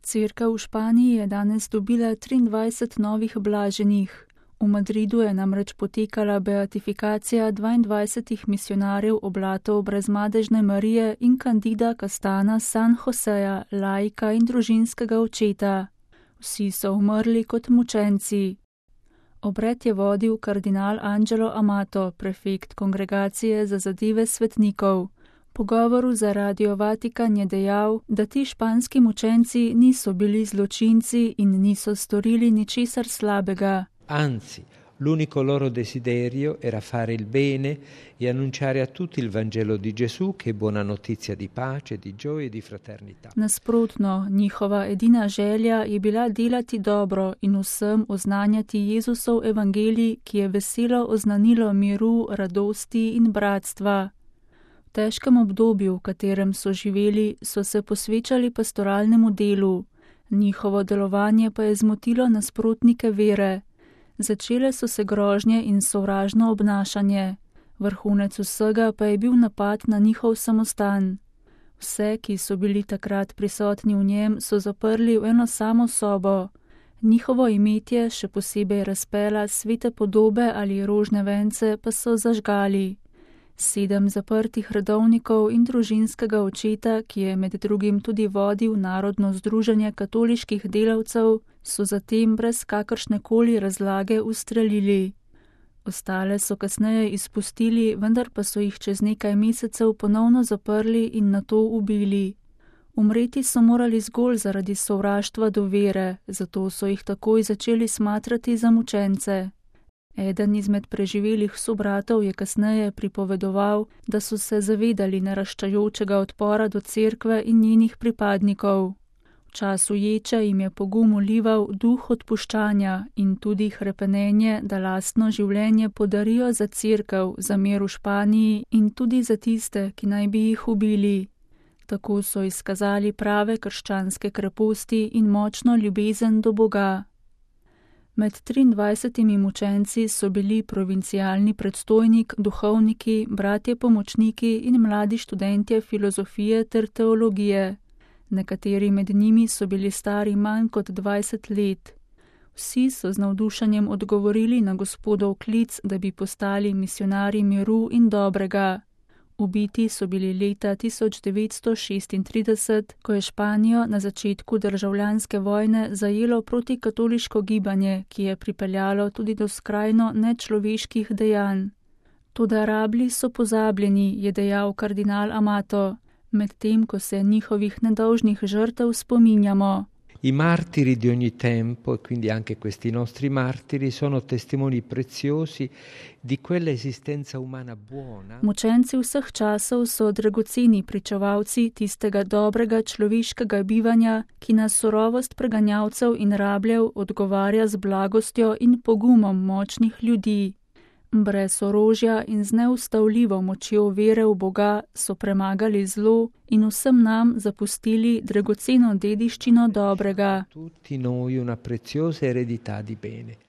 Cerkev v Španiji je danes dobila 23 novih blaženih. V Madridu je namreč potekala beatifikacija 22 misionarjev oblatov brezmadežne Marije in Candida Castana San Joseja, laika in družinskega očeta. Vsi so umrli kot mučenci. Obred je vodil kardinal Angelo Amato, prefekt Kongregacije za zadeve svetnikov. V pogovoru za Radio Vatikan je dejal, da ti španski mučenci niso bili zločinci in niso storili ničesar slabega. Anzi, l'unico loro desiderio era fare il bene e annunciare a tutti il Vangelo di Gesù, che è buona notizia di pace, di gioia e di fraternità. Nasprotno, njihova edina želja je bila delati dobro in vsem oznanjati Jezusov evangelij, ki je veselo oznanilo miru, radosti in bratstva. V težkem obdobju, v katerem so živeli, so se posvečali pastoralnemu delu. Njihovo delovanje pa je zmotilo nasprotnike vere. Začele so se grožnje in sovražno obnašanje. Vrhunec vsega pa je bil napad na njihov samostan. Vse, ki so bili takrat prisotni v njem, so zaprli v eno samo sobo. Njihovo imetje, še posebej razpela svete podobe ali rožne vence, pa so zažgali. 7 zaprtih redovnikov in družinskega očeta, ki je med drugim tudi vodil Narodno združenje katoliških delavcev, so zatem brez kakršnekoli razlage ustrelili. Ostale so kasneje izpustili, vendar pa so jih čez nekaj mesecev ponovno zaprli in nato ubili. Umreti so morali zgolj zaradi sovraštva do vere, zato so jih takoj začeli smatrati za mučence. Eden izmed preživelih sobratov je kasneje pripovedoval, da so se zavedali naraščajočega odpora do cerkve in njenih pripadnikov. V času ječe jim je pogum vlival duh odpuščanja in tudi hrepenenje, da lastno življenje podarijo za cerkev, za mir v Španiji in tudi za tiste, ki naj bi jih ubili. Tako so izkazali prave krščanske kreposti in močno ljubezen do Boga. Med 23 mučenci so bili provincialni predstojnik, duhovniki, bratje pomočniki in mladi študentje filozofije ter teologije. Nekateri med njimi so bili stari manj kot 20 let. Vsi so z navdušenjem odgovorili na Gospodov klic, da bi postali misionarji miru in dobrega. Ubiti so bili leta 1936, ko je Španijo na začetku državljanske vojne zajelo protikatoliško gibanje, ki je pripeljalo tudi do skrajno nečloveških dejanj. Toda rablji so pozabljeni, je dejal kardinal Amato, medtem ko se njihovih nedolžnih žrtev spominjamo. I martiri di ogni tempo, e quindi anche questi nostri martiri, sono testimoni preziosi di quella esistenza umana buona. Mučenci vseh časov so dragoceni pričevalci tistega dobrega človeškega bivanja, ki na surovost preganjavcev in rabljev odgovarja z blagostjo in pogumom močnih ljudi. Brez orožja in z neustavljivo močjo vere v Boga so premagali zlo in vsem nam zapustili dragoceno dediščino dobrega. Tutti noi una preziosa eredità di bene.